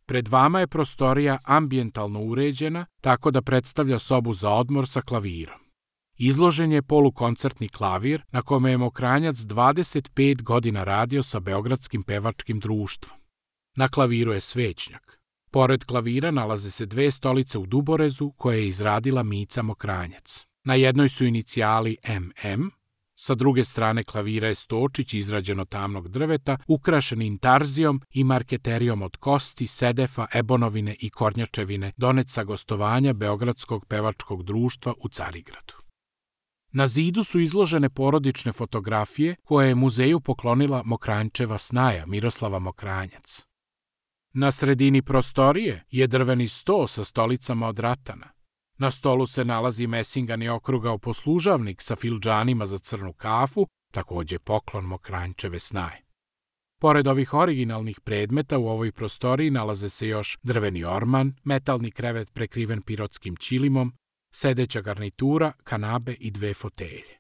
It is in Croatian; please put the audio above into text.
Pred vama je prostorija ambijentalno uređena, tako da predstavlja sobu za odmor sa klavirom. Izložen je polukoncertni klavir na kome je Mokranjac 25 godina radio sa Beogradskim pevačkim društvom. Na klaviru je svećnjak. Pored klavira nalaze se 2 stolice u duborezu koje je izradila Mica Mokranjac. Na jednoj su inicijali MM, sa druge strane klavira je stočić izrađen od tamnog drveta, ukrašen intarzijom i marketerijom od kosti, sedefa, ebonovine i kornjačevine, donet sa gostovanja Beogradskog pevačkog društva u Carigradu. Na zidu su izložene porodične fotografije koje je muzeju poklonila Mokranjčeva snaja Miroslava Mokranjac. Na sredini prostorije je drveni sto sa stolicama od ratana. Na stolu se nalazi mesingani okrugao poslužavnik sa fildžanima za crnu kafu, takođe poklon Mokranjčeve snaje. Pored ovih originalnih predmeta u ovoj prostoriji nalaze se još drveni orman, metalni krevet prekriven pirotskim ćilimom, sedeća garnitura, kanabe i 2 fotelje.